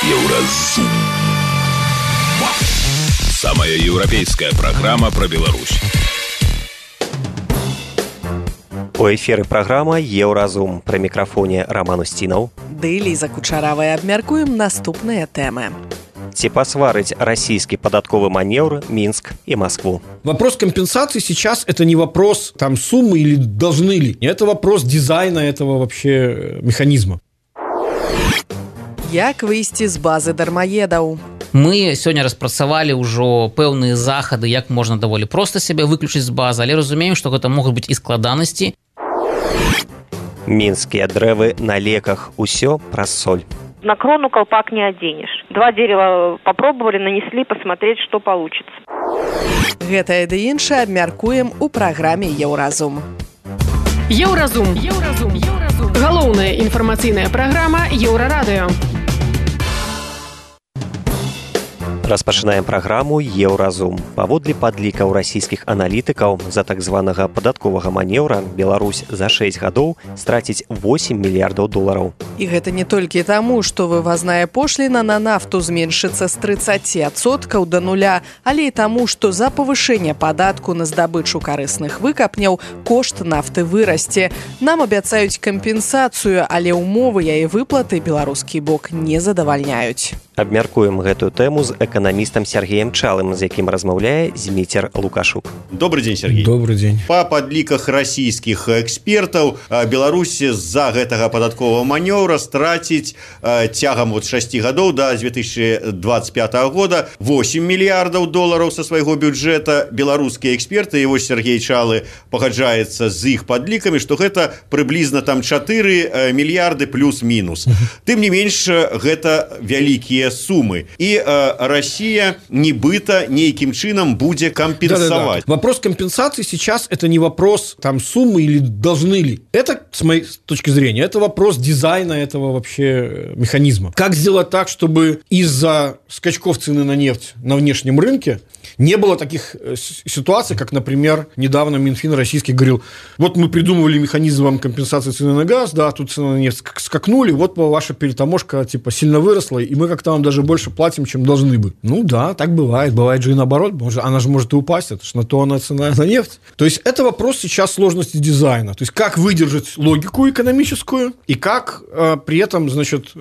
Еўразум. Самая европейская программа про Беларусь. У эфіры праграма «Еўразум». Пры мікрафоне Роман Устинов. Ды Лиза Кучаравая. Абмяркуем наступныя тэмы. Ці пасварыць российский податковый маневр Минск и Москву? Вопрос компенсации сейчас это не вопрос там суммы или должны ли. Это вопрос дизайна этого вообще механизма. Як выйсці з базы дармаедаў? Мы сёння распрацавалі ўжо пэўныя захады, як можна даволі проста сябе выключыць з базы, але разумеем, што гэта могуць быць і складанасці. Мінскія дрэвы на леках. Усё праз соль. На крону колпак не оденешь. 2 дерева попробовали, нанесли, посмотреть, что получится. Гэтае ды іншае абмяркуем у праграме «Еўразум». Еўразум. Галоўная інфармацыйная праграма Еўрарадыё. Распачынаем праграму «Еўразум». Паводле падлікаў расійскіх аналітыкаў, за так званага падатковага манеўра Беларусь за 6 гадоў страціць 8 мільярдаў долараў. І гэта не толькі таму, што вывазная пошліна на нафту зменшыцца з 30% да нуля, але і таму, што за павышэнне падатку на здабычу карысных выкапняў кошт нафты вырасце. Нам абяцаюць кампенсацыю, але ўмовы яе выплаты беларускі бок не задавальняюць. Абмяркуем гэтую тэму з эканамістам Сергеем Чалым, з якім размаўляе Зміцер Лукашук. Добрый день, Сергей. Добрый день. По падліках расійскіх экспертаў, Беларусь з-за гэтага падатковага манеўра страціць цягам 6 гадоў да 2025 года 8 мільярдаў долараў са свайго бюджэта. Беларускія эксперты, і вось Сергей Чалы пагаджаецца з іх падлікамі, што гэта прыблізна там 4 мільярды плюс-мінус. Тым не менш, гэта вялікія суммы. И Россия нібыта нейким чином будет компенсовать. Да. Вопрос компенсации сейчас это не вопрос там суммы или должны ли. Это, с моей точки зрения, это вопрос дизайна этого вообще механизма. Как сделать так, чтобы из-за скачков цены на нефть на внешнем рынке не было таких ситуаций, как, например, недавно Минфин российский говорил, вот мы придумывали механизм компенсации цены на газ, да, тут цены на нефть скакнули, вот ваша перетаможка типа сильно выросла, и мы как-то вам даже больше платим, чем должны бы. Ну да, так бывает. Бывает же и наоборот. Она же может и упасть, это же на то она цена на нефть. То есть это вопрос сейчас сложности дизайна. То есть как выдержать логику экономическую и как при этом, значит,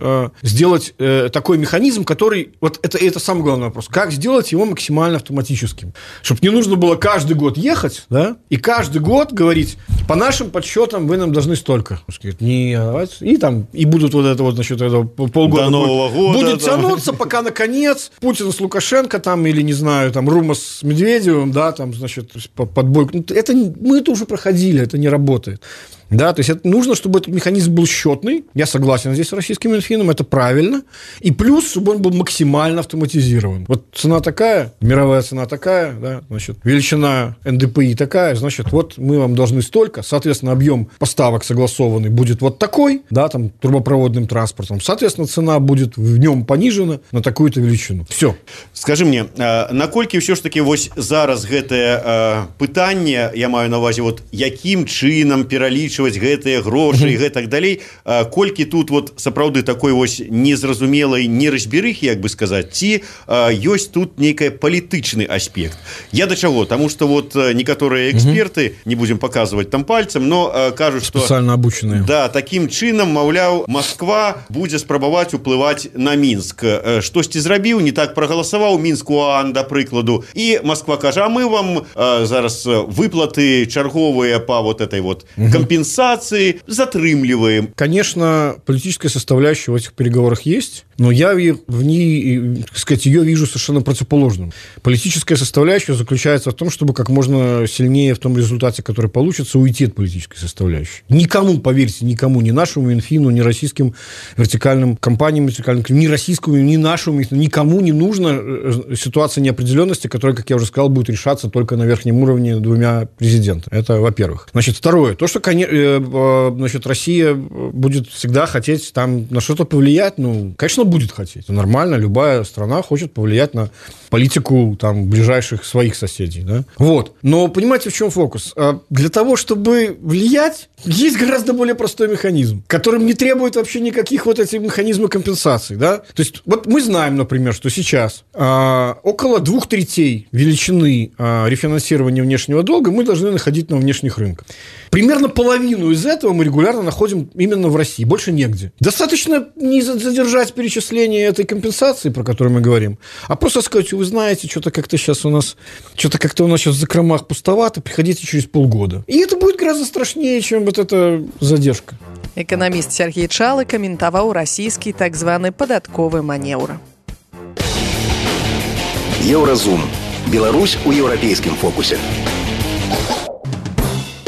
сделать такой механизм, который, вот это самый главный вопрос, как сделать его максимально автоматическим. Чтобы не нужно было каждый год ехать, да, и каждый год говорить, по нашим подсчетам вы нам должны столько. И будут вот это вот, значит, это полгода. До Нового года. Будет тянуться, пока наконец Путин с Лукашенко там, или, не знаю, там, Рума с Медведевым, да, там, значит, подбой. Мы это уже проходили, это не работает. Да, то есть это нужно, чтобы этот механизм был счетный. Я согласен здесь с российским Минфином, это правильно. И плюс, чтобы он был максимально автоматизирован. Вот цена такая, мировая цена такая, да, значит, величина НДПИ такая, значит, вот мы вам должны столько, соответственно, объем поставок согласованный будет вот такой, да, там, трубопроводным транспортом. Соответственно, цена будет в нем понижена на такую-то величину. Все. Скажи мне, наколькі все ж таки вось зараз гэтае пытанне, я маю на увазе, вот якім чынам пералічваць гэтыя грошы і гэтак далей, колькі тут вот сапраўды такой вось незразумелай неразберыхі, як бы сказаць, ці ёсць тут нейкая палітычны аспект. Я да чаго? Таму што вот некаторыя эксперты, не будем показывать там пальцем, но кажуць, што спецыяльна абучаныя. Да, такім чынам, маўляў, Москва будзе спрабаваць уплываць на Мінск. Штосьці зрабіў, не так прагаласаваў Мінск УАН, да прыкладу, і Москва кажа, а мы вам зараз выплаты чарговыя па вот этой вот компенсации затрымливаем. Конечно, политическая составляющая в этих переговорах есть, но я в ней, так сказать, ее вижу совершенно противоположным. Политическая составляющая заключается в том, чтобы как можно сильнее в том результате, который получится, уйти от политической составляющей. Никому, поверьте, никому, ни нашему Минфину, ни российским вертикальным компаниям, ни российскому, ни нашему Минфину, никому не нужна ситуация неопределенности, которая, как я уже сказал, будет решаться только на верхнем уровне 2 президентами. Это во-первых. Значит, второе. То, что, конечно, значит, Россия будет всегда хотеть там на что-то повлиять? Ну, конечно, будет хотеть. Нормально, любая страна хочет повлиять на политику там ближайших своих соседей, да? Вот. Но понимаете, в чем фокус? Для того, чтобы влиять, есть гораздо более простой механизм, которым не требует вообще никаких вот этих механизмов компенсации, да? То есть, вот мы знаем, например, что сейчас около 2/3 величины рефинансирования внешнего долга мы должны находить на внешних рынках. Примерно половину из этого мы регулярно находим именно в России, больше негде. Достаточно не задержать перечисление этой компенсации, про которую мы говорим, а просто сказать: вы знаете, что-то как-то у нас сейчас в закромах пустовато, приходите через полгода. И это будет гораздо страшнее, чем вот эта задержка. Эканаміст Сергей Чалы каментаваў расійскі так званы падатковы манеўр. Еўразум. Беларусь у еўрапейскім фокусе.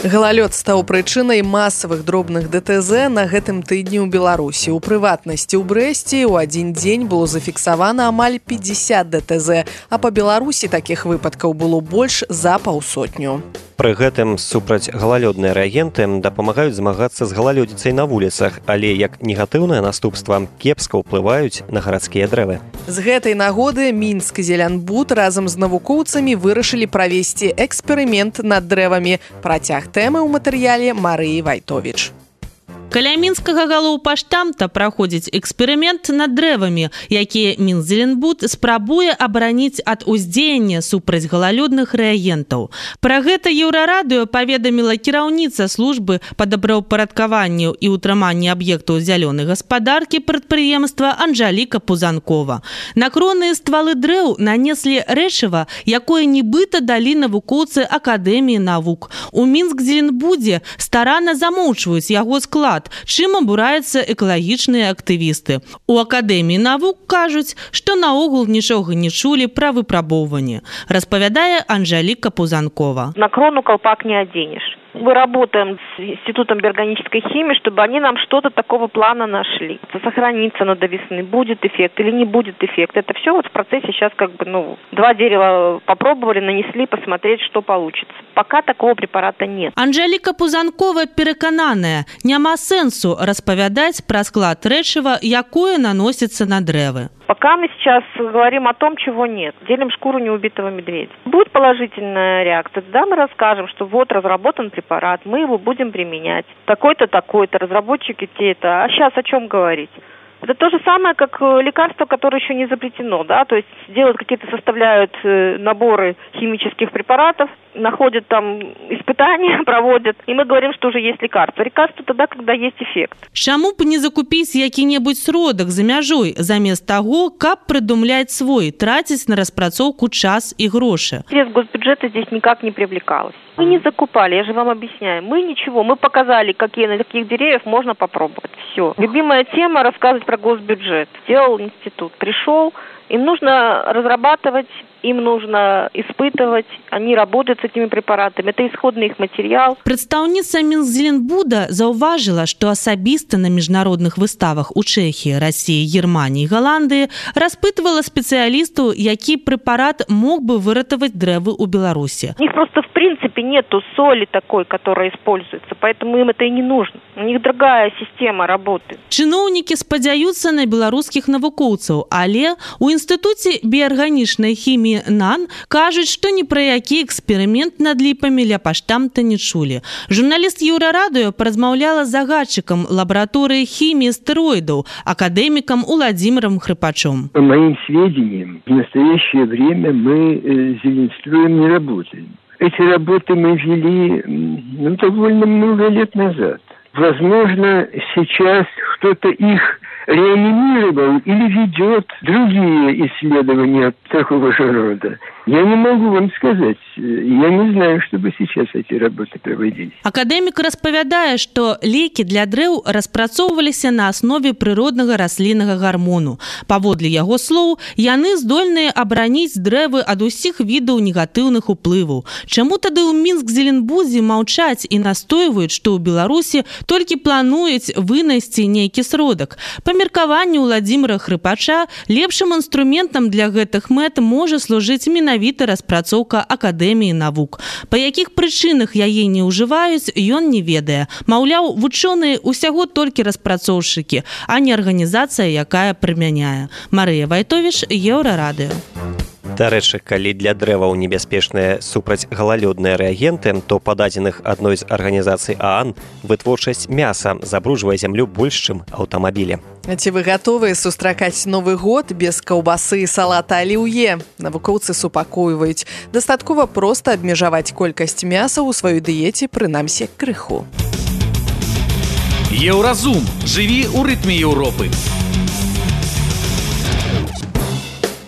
Галалёд стаў прычынай масавых дробных ДТЗ на гэтым тыдні ў Беларусі. У прыватнасці ў Брэсце ў адзін дзень было зафіксавана амаль 50 ДТЗ, а па Беларусі такіх выпадкаў было больш за паўсотню. Пры гэтым супраць галалёдныя рэагенты дапамагаюць змагацца з галалёдзіцай на вуліцах, але як негатыўнае наступства кепска ўплываюць на гарадскія дрэвы. З гэтай нагоды Мінск зелянбуд разам з навукоўцамі вырашылі правесці эксперымент над дрэвамі. Працяг тэмы ў матэрыяле Марыі Вайтовіч. Каля мінскага галоўпаштамта праходзіць эксперымент над дрэвамі, якія Мінзеленбуд спрабуе абараніць ад уздзеяння супраць галалёдных рэагентаў. Пра гэта Еўрарадыё паведаміла кіраўніца службы па добраўпарадкаванню і ўтрыманні аб'ектаў зялёнай гаспадаркі прадпрыемства Анжаліка Пузанкова. На кронныя ствалы дрэў нанеслі рэчыва, якое нібыта далі навукоўцы Акадэміі навук. У Мінск-Зеленбудзе старанна замоўчваюць яго склад, чым абураюцца экалагічныя актывісты. У Акадэміі навук кажуць, што наогул нічога не чулі пра выпрабоўванне, распавядае Анжаліка Пузанкова. На крону колпак не оденешь. Мы работаем с Институтом биорганической химии, чтобы они нам что-то такого плана нашли. Сохранится оно до весны, будет эффект или не будет эффект. Это все вот в процессе сейчас 2 дерева попробовали, нанесли, посмотреть, что получится. Пока такого препарата нет. Анжаліка Пузанкова перакананая, няма сэнсу распавядаць пра склад рэчыва, якое наносіцца на дрэвы. Пока мы сейчас говорим о том, чего нет. Делим шкуру неубитого медведя. Будет положительная реакция, да, мы расскажем, что вот разработан препарат, мы его будем применять. Такой-то, такой-то, разработчики те-то. А сейчас о чем говорить? Это то же самое, как лекарство, которое еще не запретено, да, то есть делают какие-то, составляют наборы химических препаратов, находят там испытания, проводят, и мы говорим, что уже есть лекарство. Лекарство тогда, когда есть эффект. Чаму б не закупіць які-небудзь сродак за мяжой, замест таго, каб прыдумляць свой, траціць на распрацоўку час и грошы? Средств госбюджета здесь никак не привлекалось. Мы не закупали, я же вам объясняю. Мы ничего, мы показали, на каких деревьев можно попробовать. Все. Любимая тема — рассказывать про госбюджет. Сделал институт, пришел, им нужно разрабатывать, им нужно испытывать, они работают с этими препаратами. Это исходный их материал. Прадстаўніца Мінзеленбуда заўважыла, што асабіста на міжнародных выставах у Чэхіі, Расіі, Германіі, Галандыі распытывала спецыялістаў, які прэпарат мог бы выратаваць дрэвы ў Беларусі. У них просто в принципе нету соли такой, которая используется, поэтому им это и не нужно. У них другая система работы. Чыноўнікі спадзяюцца на беларускіх навукоўцаў, але у Інстытуце біарганічнай хіміі НАН кажуць, што ні пра які эксперымент над ліпамі ля паштамта не чулі. Журналіст Еўрарадыё паразмаўляла з загадчыкам лабараторыі хіміі стэроідаў, акадэмікам Уладзімірам Хрыпачом. По моим сведениям, в настоящее время мы с Зеленструем не работаем. Эти работы мы вели довольно много лет назад. Возможно, сейчас кто-то их реанимировал или ведет другие исследования такого же рода. Я не могу вам сказать. Я не знаю, чтобы сейчас эти работы проводились. Акадэмік распавядае, што лекі для дрэў распрацоўваліся на аснове прыроднага расліннага гармону. Паводле яго слоў, яны здольныя абараніць дрэвы ад усіх відаў негатыўных уплываў. Чаму тады ў Мінск-Зеленбудзе маўчаць і настойваюць, што ў Беларусі толькі плануюць вынайсці нейкі сродак? Па меркаванню Уладзіміра Хрыпача, лепшым інструментам для гэтых мэт можа служыць менавіта менавіта распрацоўка акадэміі навук. Па якіх прычынах яе не ўжываюць, ён не ведае. Маўляў, вучоныя ўсяго толькі распрацоўшчыкі, а не арганізацыя, якая прымяняе. Марыя Вайтовіч, Еўрарадыё. Дарэчы, калі для дрэваў небяспечныя супрацьгалалёдныя рэагенты, то па дадзеных адной з арганізацый ААН вытворчасць мяса забруджвае зямлю больш, чым аўтамабілі. Ці вы гатовыя сустракаць Новы год без каўбасы і салата аліўе? Навукоўцы супакойваюць. Дастаткова проста абмежаваць колькасць мяса ў сваёй дыеце, прынамсі, крыху. Еўразум. Жыві ў рытме Еўропы.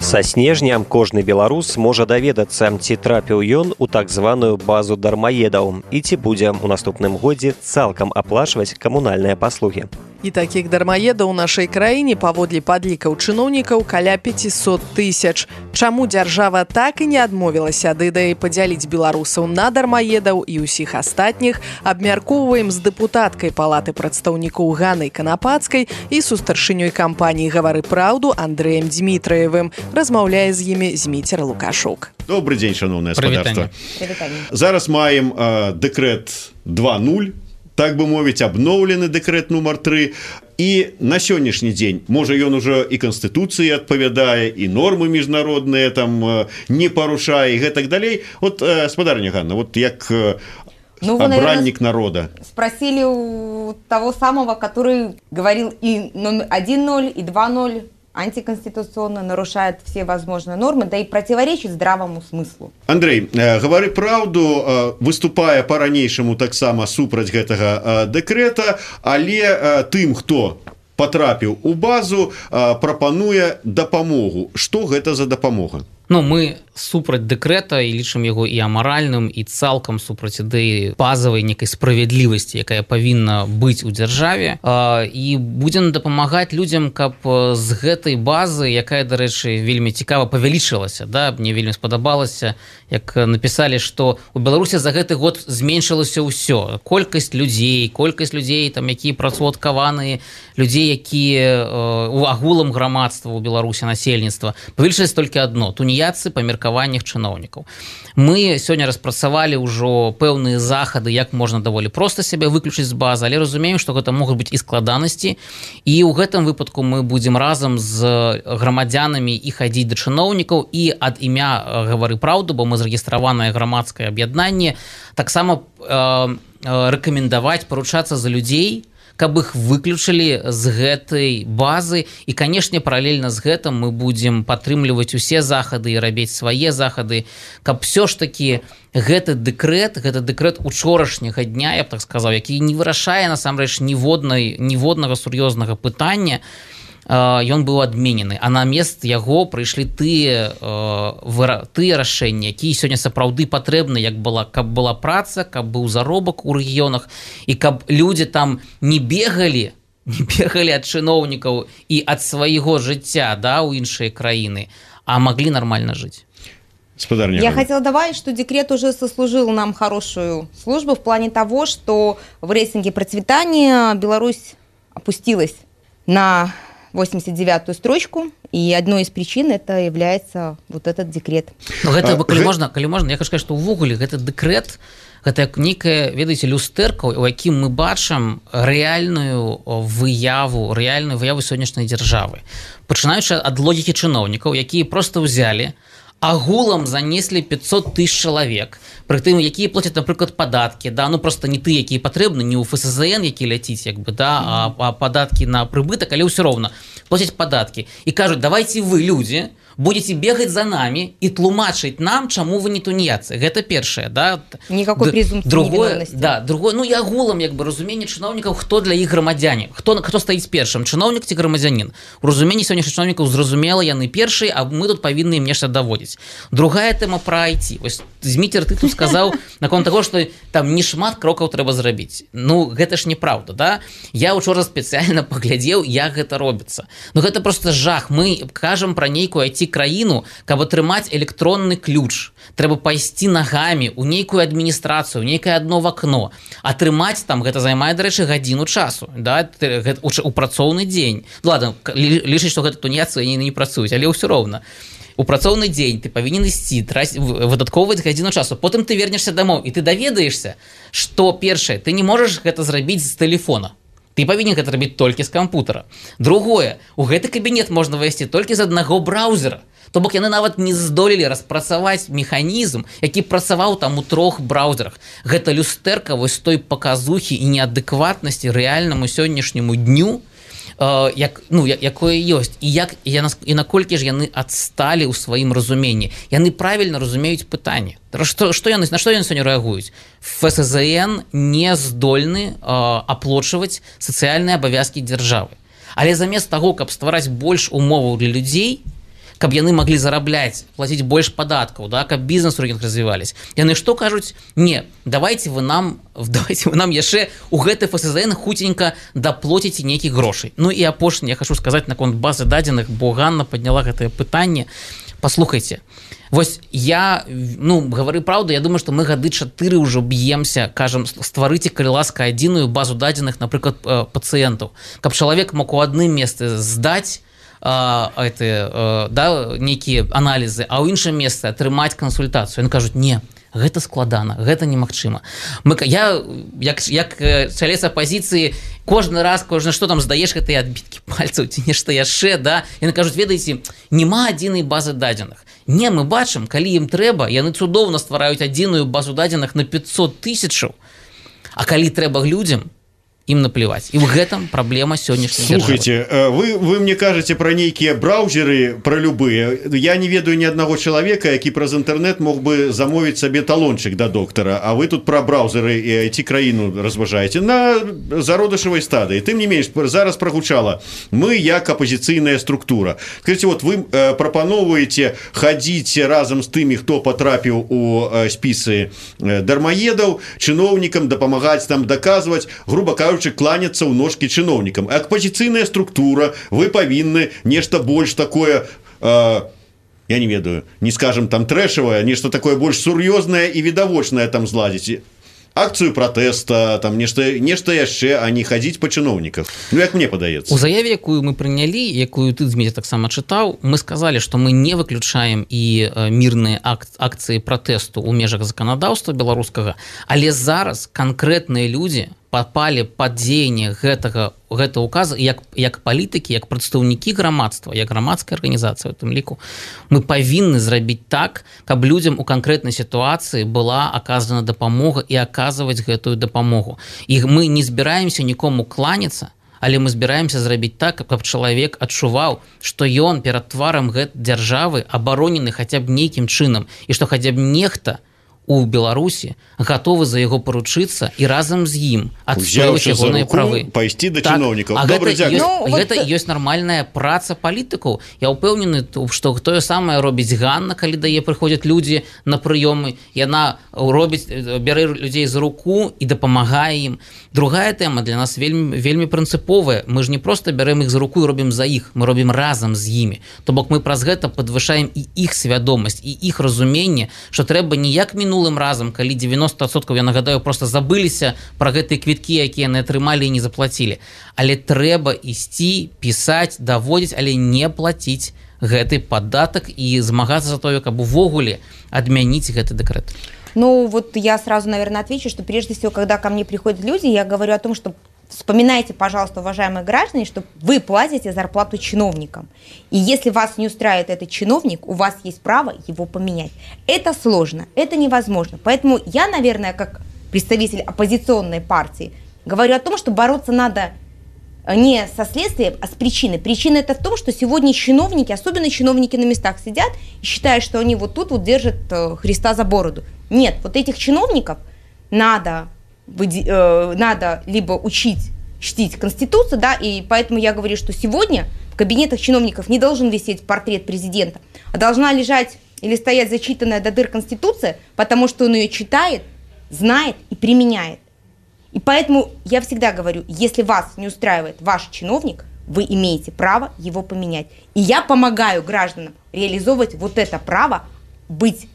Са снежня кожны беларус можа даведацца, ці трапіў ён у так званую базу дармаедаў і ці будзе ў наступным годзе цалкам аплачваць камунальныя паслугі. І такіх дармаедаў у нашай краіне паводле падлікаў чыноўнікаў каля 500 000. Чаму дзяржава так і не адмовілася ад ідэі падзяліць беларусаў на дармаедаў і ўсіх астатніх, абмяркоўваем з дэпутаткай палаты прадстаўнікоў Ганнай Канапацкай і со старшынёй кампаніі «Гавары праўду» Андрэем Дмітраевым. Размаўляе з імі Зміцер Лукашук. Добрый дзень, шановнае спадарства. Зараз маем дэкрэт 2.0, так бы мовіць, абноўлены дэкрэт нумар 3. І на сённяшні дзень, можа, ён ужо і Канстытуцыі адпавядае, і нормы міжнародныя там не парушае, і гэтак далей. Вот, спадарня Ганна, вот як обранник народа. Спросили у того самого, который говорил и 1.0, и 2.0, антиконституционно, нарушает все возможные нормы, да и противоречит здравому смыслу. Андрей, «Гавары праўду» выступае па-ранейшаму таксама супраць гэтага дэкрэта, але тым, хто патрапіў у базу, прапануе дапамогу. Што гэта за дапамога? Ну, мы супраць дэкрэта і лічым яго і амаральным, і цалкам супраць ідэі базавай некай справядлівасці, якая павінна быць у дзяржаве, і будзем дапамагаць людзям, каб з гэтай базы, якая, дарэчы, вельмі цікава павялічылася, да, мне вельмі спадабалася, як напісалі, што у Беларусі за гэты год зменшылася ўсё. Колькасць людзей, там, якія працаўладкаваныя, людзей, якія у агулам грамадства ў Беларусі, насельніцтва, павялічылася толькі адно – туніяцы па меркаваннях чыноўнікаў. Мы сёння распрацавалі ўжо пэўныя захады, як можна даволі проста сябе выключыць з базы, але разумеем, што гэта могуць быць і складанасці, і ў гэтым выпадку мы будзем разам з грамадзянамі і хадзіць да чыноўнікаў, і ад імя «Гавары праўду», бо мы зарэгістраванае грамадскае аб'яднанне, таксама рэкамендаваць паручацца за людзей, каб іх выключылі з гэтай базы. І, канешне, паралельна з гэтым мы будзем падтрымліваць усе захады і рабіць свае захады, каб все ж такі гэты дэкрэт учорашняга дня, я б так сказаў, які не вырашае насамрэч ніводнага сур'ёзнага пытання, ён быў адменены, а на мест яго прыйшлі тыя рашэнні, якія сёння сапраўды патрэбны, каб была праца, каб быў заробак у рэгіёнах, і каб людзі там не бегалі ад чыноўнікаў і ад свайго жыцця, да, у іншыя краіны, а маглі нармальна жыць. Я хотела добавить, что декрет уже сослужил нам хорошую службу в плане того, что в рейтинге процветания Беларусь опустилась на 89-ю строчку, и одной из причин это является вот этот декрет. Калі можна, я хочу сказать, что увогуле гэты дэкрэт, гэта некая, ведаеце, люстэрка, у якім мы бачым рэальную выяву сённяшняй дзяржавы. Пачынаючы ад логікі чыноўнікаў, якія проста ўзялі, агулам занеслі 500 000 чалавек, пры тым, якія плацяць, напрыклад, падаткі, да, ну просто не тыя, якія патрэбны, не ў ФСЗН, які ляціць, як бы, да, а падаткі на прыбытак, але ўсё роўна плацяць падаткі. І кажуць, давайте вы, людзі, будете бегать за нами и тлумачить нам, чему вы не тунеядцы. Это першае, да? Никакой презумпции невиновности. Да, другое, ну, я агулам, як бы, разуменне чыноўнікаў, хто для іх грамадзяне, хто стаіць першым, чыноўнік ці грамадзянін. У разуменні сённяшніх чыноўнікаў зразумела, яны першыя, а мы тут павінны ім нешта даводзіць. Другая тэма пра IT. Вось Зміцер, ты тут сказаў наконт таго, што там не шмат крокаў трэба зрабіць. Ну, гэта ж неправда, да? Я учора спецыяльна паглядзеў, як гэта робіцца. Ну, гэта просто жах. Мы кажам пра нейкую IT-краіну, каб атрымаць электронны ключ. Трэба пайсці нагамі ў нейкую адміністрацыю, нейкае адно вакно. Атрымаць там, гэта займае, дарэчы, гадзіну часу, да? У працоўны дзень. Ладно, лічыць, што гэта тунеядцы, яны не працуюць, але ўсё роўна. у працоўны дзень ты павінен ісці выдаткоўваць гадзіну часу, потым ты вернешся дамоў і ты даведаешься, што першае, ты не можаш гэта зрабіць з тэлефона. Ты павінен гэта рабіць толькі з кампутара. Другое, у гэты кабінет можна вайсці толькі з аднаго браўзера. То бок яны нават не здолелі распрацаваць механізм, які працаваў там у 3 браўзерах. Гэта люстэрка вось той паказухі і неадэкватнасці рэальнаму сённяшняму дню, якое ёсць. І наколькі ж яны адсталі ў сваім разуменні. Яны правільна разумеюць пытанне. На што яны сёння рэагуюць? ФСЗН не здольны аплочваць сацыяльныя абавязкі дзяржавы. Але замест таго, каб ствараць больш умоваў для людзей, каб яны маглі зарабляць, плаціць больш падаткаў, да, каб бізнес у рэгіонах развівались. Яны што кажуць? Не, давайте вы нам яшчэ у гэты ФСЗН хуценька даплоціце нейкіх грошай. Ну і апошняе я хочу сказаць наконт базы дадзеных, бо Ганна падняла гэтае пытанне. Паслухайце, вось я, гавары праўду, я думаю, што мы гады 4 ўжо б'емся, кажам, стварыце, калі ласка, адзіную базу дадзеных, напрыклад, пацыентаў, каб чалавек мог у адным месцы здаць нейкія аналізы, а ў іншым месцы атрымаць кансультацыю. Яны кажуць, не, гэта складана, гэта немагчыма. Я, як чалец апазіцыі, кожны раз, што там здаеш гэтыя адбіткі пальцаў ці нешта яшчэ, да? Яны кажуць, ведаеце, няма адзінай базы дадзеных. Не, мы бачым, калі ім трэба, яны цудоўна ствараюць адзіную базу дадзеных на 500 000, а калі трэба людзям, им наплевать. И в этом проблема сегодняшней державы. Слушайте, вы мне кажете про некие браузеры, про любые. Я не ведаю ни одного человека, який праз интернет мог бы замовить себе талончик до доктора, а вы тут про браузеры и IT-краину разважаете на зародышевой стадии. Тем не менее, зараз прогучало. Мы, як оппозиционная структура. Скажите, вот вы пропановываете ходить разом с теми, кто потрапил у списы дармоедов, чиновникам, допомагать там, доказывать, грубо говоря, кланяться ў ножкі чыноўнікам. Апозіцыйная структура, вы павінны нешта больш такое, я не ведаю, не скажем там трэшавае, нешта такое больш сур'ёзнае і відавочнае там зладзіць. Акцыю пратэста, там нешта яшчэ, а не хадзіць па чыноўніках. Ну, як мне падаецца. У заяве, якую мы прынялі, якую ты, Дмітрий, таксама чытаў, мы сказалі, што мы не выключаем і мірныя акцыі пратэсту ў межах заканадаўства беларускага, але зараз канкрэтныя людзі попали под дзеянне гэтага указа, як палітыкі, як прадстаўнікі грамадства, як грамадская арганізацыя у тым ліку, мы павінны зрабіць так, каб людзям у канкрэтнай сітуацыі была аказана дапамога і аказваць гэтую дапамогу. І мы не збіраемся нікому кланяцца, але мы збіраемся зрабіць так, каб чалавек адчуваў, што ён перад тварам гэтай дзяржавы абаронены хаця б нейкім чынам, і што хаця б нехта у Беларусі гатовы за яго паручыцца і разам з ім адстойваць ягоныя правы. Пайсці да чыноўнікаў. Гэта ёсць нармальная праца палітыкаў. Я ўпэўнены, што тое самае робіць Ганна, калі да яе прыходзяць людзі на прыёмы. Яна бярэ людзей за руку і дапамагае ім. Другая тэма для нас вельмі прынцыповая. Мы ж не проста бярем іх за руку і робім за іх, мы робім разам з імі. То бок мы праз гэта падвышаем і іх свядомасць, і іх разуменне, што трэба не як мінулым разам, калі 90%, я нагадаю, просто забыліся пра гэтыя квіткі, якія яны атрымалі і не заплацілі. Але трэба ісці, пісаць, даводзіць, але не плаціць гэты падатак і змагацца за тое, каб увогуле адмяніць гэты дэкрэт. Ну, вот я сразу, наверное, отвечу, что прежде всего, когда ко мне приходят люди, я говорю о том, что вспоминайте, пожалуйста, уважаемые граждане, что вы платите зарплату чиновникам. И если вас не устраивает этот чиновник, у вас есть право его поменять. Это сложно, это невозможно. Поэтому я, наверное, как представитель оппозиционной партии, говорю о том, что бороться надо не со следствием, а с причиной. Причина это в том, что сегодня чиновники, особенно чиновники на местах сидят и считают, что они вот тут вот держат Христа за бороду. Нет, вот этих чиновников надо либо учить чтить Конституцию, да, и поэтому я говорю, что сегодня в кабинетах чиновников не должен висеть портрет президента, а должна лежать или стоять зачитанная до дыр Конституция, потому что он ее читает, знает и применяет. И поэтому я всегда говорю, если вас не устраивает ваш чиновник, вы имеете право его поменять. И я помогаю гражданам реализовывать вот это право, быть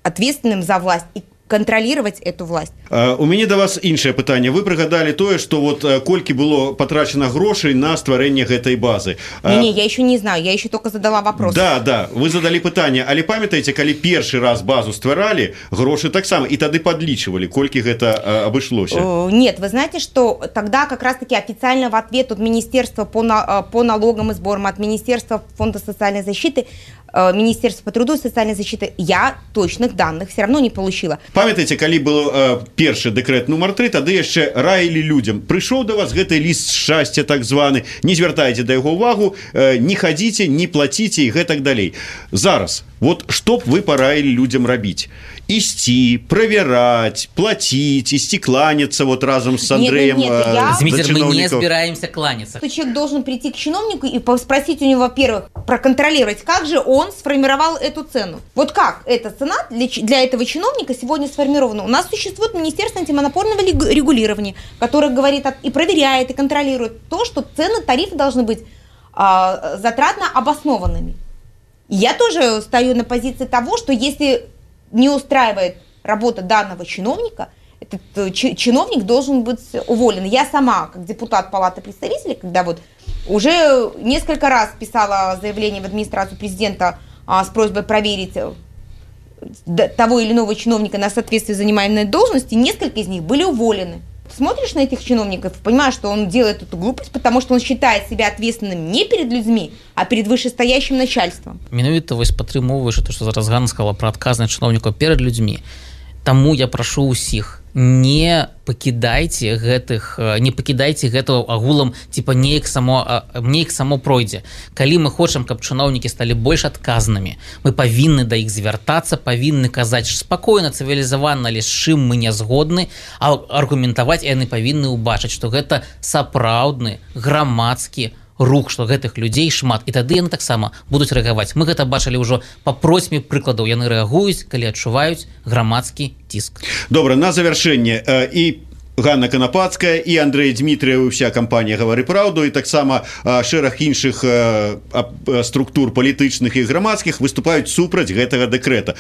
ответственным за власть и контролировать эту власть. У мяне да вас іншае пытанне. Вы прыгадалі тое, што вот колькі было патрачана грошай на стварэнне гэтай базы. Не, я еще не знаю, я еще только задала вопрос. Да, вы задалі пытанне, але памятаеце, калі першы раз базу стваралі, грошы таксама, і тады падлічвалі, колькі гэта абышлося? Нет, вы знаете, что тогда как раз-таки официально в ответ от Министерства по налогам и сборам, от Министерства фонда социальной защиты, Министерства по труду и социальной защиты, я точных данных все равно не получила. Памятаеце, калі был першы дэкрэт нумар 3, тады яшчэ раілі людям: прыйшоў да вас гэты ліст шчасця так званы, не звяртайце да яго ўвагу, не хадзіце, не плаціце і гэтак далей. Зараз, вот што б вы параілі людям рабіць? Ісці, правяраць, плаціць, ісці кланяцца вот разом с Андреем. Дмитрий, мы не собираемся кланяться. Человек должен прийти к чиновнику и спросить у него, во-первых, проконтролировать, как же он сформировал эту цену. Вот как эта цена для этого чиновника сегодня сформирована. У нас существует Министерство антимонопольного регулирования, которое говорит и проверяет, и контролирует то, что цены, тарифы должны быть затратно обоснованными. И я тоже стою на позиции того, что если не устраивает работа данного чиновника, этот чиновник должен быть уволен. Я сама, как депутат Палаты представителей, когда вот уже несколько раз писала заявление в администрацию президента с просьбой проверить того или иного чиновника на соответствие занимаемой должности, несколько из них были уволены. Смотришь на этих чиновников, понимаешь, что он делает эту глупость, потому что он считает себя ответственным не перед людьми, а перед вышестоящим начальством. Менавіта вось падтрымоўваеш то, што зараз Ганна сказала пра адказнасць чыноўнікаў перад людзьмі. Таму я прашу ўсіх, не пакідайце гэтага агулам, типа неяк само пройдзе. Калі мы хочам, каб чыноўнікі сталі больш адказнымі, мы павінны да іх звяртацца, павінны казаць спакойна, цывілізавана, але з чым мы не згодны, а аргументаваць, і яны павінны ўбачыць, што гэта сапраўдны грамадскі рух, што гэтых людзей шмат, і тады яны таксама будуць рэагаваць. Мы гэта бачылі ўжо па просьбе прыкладаў, яны рэагуюць, калі адчуваюць грамадскі ціск. Добра, на завяршэнне і Ганна Канапацкая, і Андрей Дмітрыеў, уся кампанія «Гавары праўду», і таксама шэраг іншых структур палітычных і грамадскіх выступаюць супраць гэтага дэкрэта.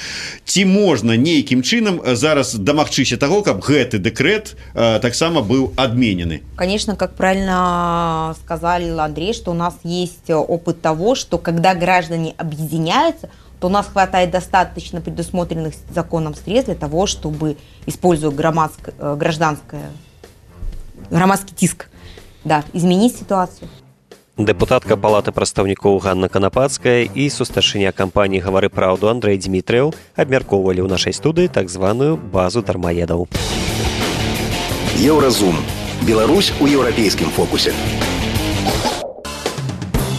Ці можна нейкім чынам зараз дамагчыся таго, каб гэты дэкрэт таксама быў адменены? Конечно, как правильно сказал Андрей, что у нас есть опыт того, что когда граждане объединяются, то у нас хватает достаточно предусмотренных законом средств для того, чтобы, используя гражданский тиск, изменить ситуацию. Дэпутатка Палаты прадстаўнікоў Ганна Канапацкая і сустаршыня кампаніі «Гавары праўду» Андрей Дмітрыеў абмяркоўвалі ў нашай студыі так званую базу дармаедаў. Еўразум. Беларусь у еўрапейскім фокусе.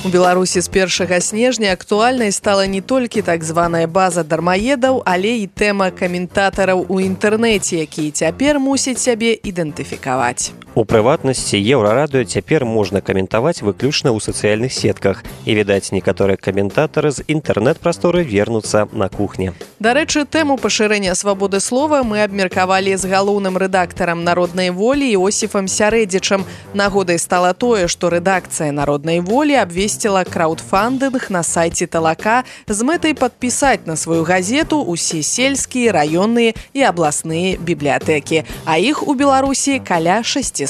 У Беларусі з 1 снежня актуальнай стала не толькі так званая база дармаедаў, але і тэма каментатараў у інтэрнэце, якія цяпер мусяць сябе ідэнтыфікаваць. У прыватнасці Еўрарадыё цяпер можна каментаваць выключна ў сацыяльных сетках. І, відаць, некаторыя каментатары з інтэрнэт-прасторы вернуцца на кухне. Дарэчы, тэму пашырэння свабоды слова мы абмеркавалі з галоўным рэдактарам «Народнай волі» Іосіфам Сярэдзічам. Нагодай стала тое, што рэдакцыя «Народнай волі» абвесціла краўдфандынг на сайце Талака з мэтай падпісаць на сваю газету ўсе сельскія, раённыя і абласныя бібліятэкі. А іх у Беларусі каля 600.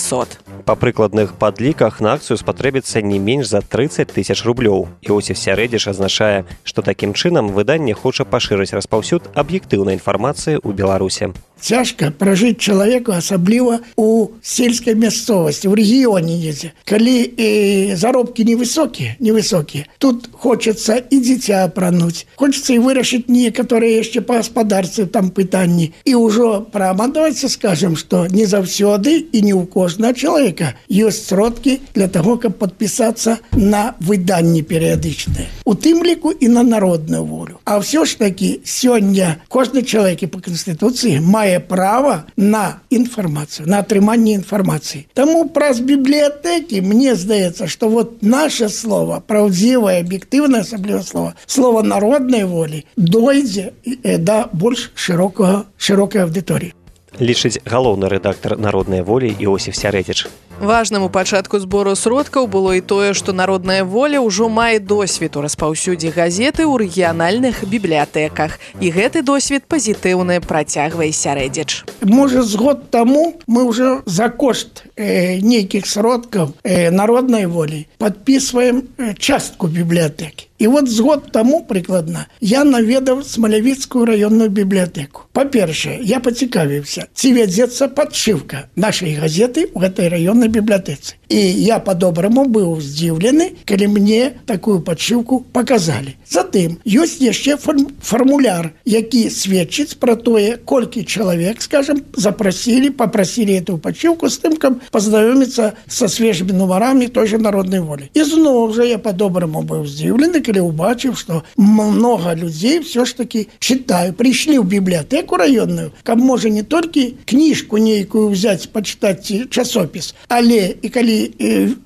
Па прыкладных падліках на акцыю спатрэбіцца не менш за 30 000 рублёў. Іосіф Сярэдзіч азначае, што такім чынам выданне хоча пашырыць распаўсюд аб'ектыўнай інфармацыі ў Беларусе. Цяжка пражыць чалавеку, асабліва у сельскай мясцовасці, у рэгіёне недзе. Калі заробкі невысокія, тут хочацца і дзіця апрануць, хочацца і вырашыць некаторыя яшчэ па гаспадарцы там пытанні. І ўжо прамадаваецца, скажам, што не заўсёды і не ў кожнага чалавека ёсць сродкі для таго, каб падпісацца на выданні перыядычныя. У тым ліку і на народную волю. А ўсё ж такі сёння кожны чалавек па Канстытуцыі мае права на інфармацыю, на атрыманне інфармацыі. Таму праз бібліятэкі мне здаецца, што вот наше слово, праўдзівае, аб'ектыўнае асабліва слово народнай волі дойдзе да больш шырокай аўдыторыі. Лічыць галоўны рэдактар «Народнай волі» Іосіф Сярэдзіч. Важным у пачатку збору сродкаў было і тое, што народная воля ўжо мае досвед у распаўсюдзе газеты ў рэгіянальных бібліятэках. І гэты досвед пазітыўны, працягвае Сярэдзіч. Можа, з год таму мы ўжо за кошт нейкіх сродкаў народнай волі падпісваем частку бібліятэкі. І вот з год таму прыкладна я наведаў Смалявіцкую раённую бібліятэку. Па-першае, я пацікавіўся, ці вядзецца падшыўка нашай газеты ў гэтай раённай бібліятэцы. І я па-добраму быў здзіўлены, калі мне такую падшыўку паказалі. Затым ёсць яшчэ фармуляр, які сведчыць пра тое, колькі чалавек, скажем, папрасілі эту падшыўку з тым, каб пазнаёміцца са свежымі нумарамі той жа народнай волі. І зноў жа я па-добраму быў здзіўлены, калі ўбачыў, што многа людзей все ж таки прыйшлі ў бібліятэку раённую, каб можа не толькі кніжку нейкую ўзяць, пачытаць часопіс, але і калі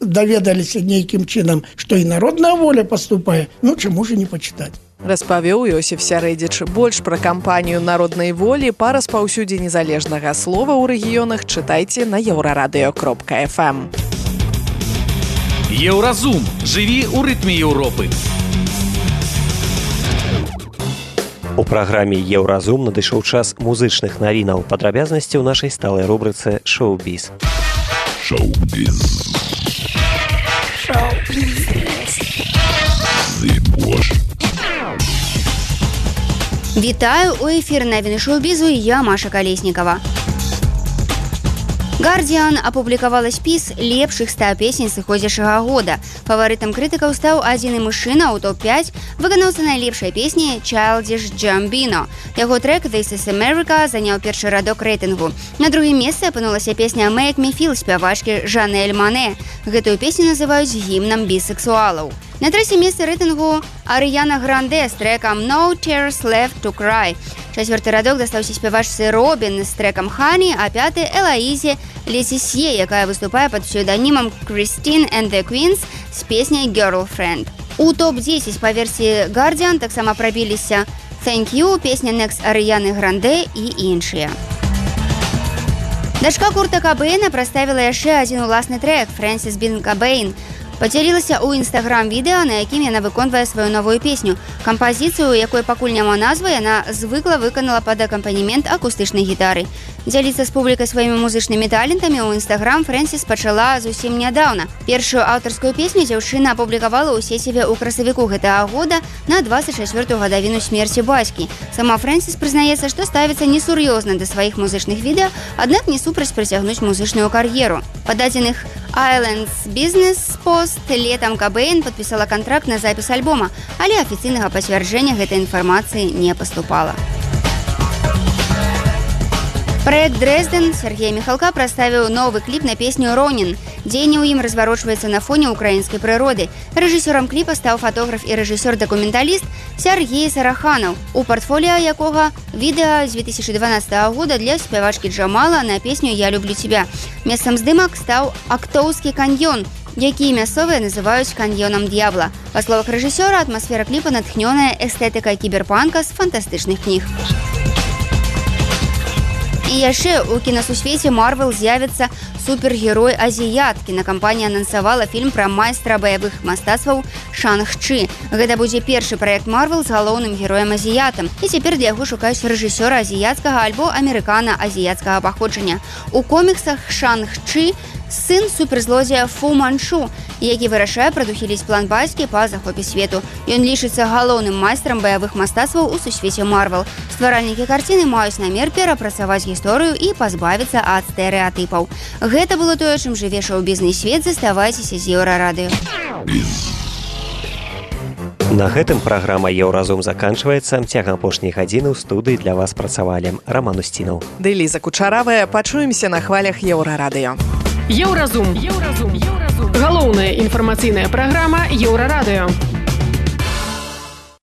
даведаліся нейкім чынам, што і народная воля паступае, чаму ж не пачытаць. Распавёў Йосіф Сярэдзіч. Больш пра кампанію народнай волі па распаўсюдзе незалежнага слова ў рэгіёнах чытайце на еўрарадыё.фм. Еўразум. Жыві ў рытме Еўропы. У праграме «Еўразум» надышоў час музычных навінаў. Падрабязнасці ў нашай сталай рубрыцы «Шоу-біз». Шоу-біз. Вітаю, у эфір навіны шоу-бізу, я Маша Калеснікава. «Гардіан» апублікавала спіс лепшых 100 песень сыходзячага года. Фаварытам крытыкаў стаў адзіны мужчына ў топ-5, выканаўца найлепшай песні Childish Gambino. Яго трэк «This is America» заняў першы радок рэйтынгу. На другім месцы апынулася песня «Make Me Feel» спявачкі Жанэль Мане. Гэтую песню называюць гімнам бісексуалаў. На трэцім месцы рэйтынгу Арыяна Гранде з трэкам «No Tears Left to Cry». Чацвёрты радок дастаўся спявачцы Робін з трэкам «Honey», а пяты Элаізе Летисье, якая выступае пад псеўданімам Christine and the Queens з песняй «Girlfriend». У топ-10 па версіі «Guardian» таксама прабіліся «Thank You», песня «Next» Арыяны Гранде і іншыя. Дачка Курта Кабэйна прадставіла яшчэ адзін уласны трэк «Фрэнсіс Бін Кабэйн». Падзялілася ў інстаграм-відэа, на якім яна выконвае сваю новую песню. Кампазіцыю, якой пакуль няма назвы, яна звыкла выканала пад акампанемент акустычнай гітары. Дзяліцца з публікай сваімі музычнымі талентамі ў інстаграм Фрэнсіс пачала зусім нядаўна. Першую аўтарскую песню дзяўчына апублікавала ў сеціве ў красавіку гэтага года на 24-ю гадавіну смерці бацькі. Сама Фрэнсіс прызнаецца, што ставіцца несур'ёзна да сваіх музычных відэа, аднак не супраць працягнуць музычную кар'еру. Па дадзеных Islands Business Post летам Кабэйн падпісала кантракт на запіс альбома, але афіцыйнага пацвярджэння гэтай інфармацыі не паступала. Праект «Дрэздэн» Сергей Михалка прадставіў новы кліп на песню «Ронін». Дзеянне ў ім разварочваецца на фоне ўкраінскай прыроды. Рэжысёрам кліпа стаў фатограф і рэжысёр-дакументаліст Сергей Сараханаў, у партфоліо якога відэа з 2012 года для спявачкі Джамала на песню «Я люблю тебя». Месцам здымак стаў Актоўскі каньён, які мясцовыя называюць каньёнам д'ябла. Па словах рэжысёра, атмасфера кліпа натхнёная эстэтыкай кіберпанка з фантастычных кніг. І яшчэ у кінасусвеце Марвел з'явіцца супергерой-азіят. Кінакампанія анансавала фільм пра майстра баявых мастацтваў Шанг-Чы. Гэта будзе першы праект Марвел з галоўным героем-азіятам. І цяпер для яго шукаюць рэжысёра азіяцкага альбо амерыкана-азіяцкага паходжання. У коміксах Шанг-Чы сын суперзлодзея Фу Манчу, які вырашае прадухіліць план бацькі па захопе свету. Ён лічыцца галоўным майстрам баявых мастацтваў у сусвеце Марвел. Стваральнікі карціны маюць намер перапрацаваць гісторыю і пазбавіцца ад стэрэатыпаў. Гэта было тое, чым жыве шоу-бізнес свет. Заставайцеся з Еўрарадыё. На гэтым праграма «Еўразум» заканчваецца. Цягам апошняй гадзіны ў студыі для вас працавалі Раман Устінаў. Ды Ліза Кучаравая. Пачуемся на хвалях Еўрарадыё. Еўразум. Галоўная інфармацыйная праграма Еўрарадыё.